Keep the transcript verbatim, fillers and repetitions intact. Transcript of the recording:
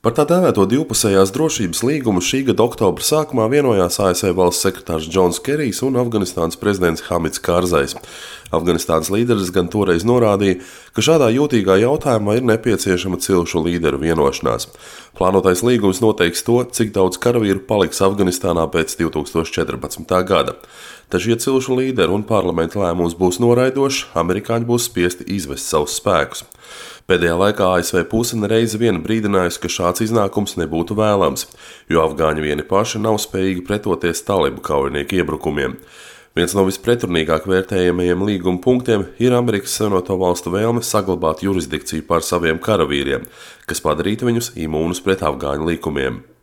Par tā dēvēto divpusējās drošības līgumu šī gada oktobra sākumā vienojās A S V valsts sekretārs Džons Kerijs un Afganistānas prezidents Hamids Kārzais. Afganistānas līderis gan toreiz norādīja, ka šādā jūtīgā jautājumā ir nepieciešama cilšu līderu vienošanās. Plānotais līgums noteiks to, cik daudz karavīru paliks Afganistānā pēc divi tūkstoši četrpadsmitā gada. Taču, ja cilšu līderu un parlamenta lēmums būs noraidošs, amerikāņi būs spiesti izvest savus spēkus. Pēdējā laikā A S V puse nereizi vien brīdinājusi, ka šāds iznākums nebūtu vēlams, jo afgāņi vieni paši nav spējīgi pretoties talibu kaujinieku iebrukumiem. Viens no vispretrunīgāk vērtējamajiem līguma punktiem ir Amerikas Savienoto Valstu vēlme saglabāt jurisdikciju pār saviem karavīriem, kas padarītu viņus imūnus pret afgāņu likumiem.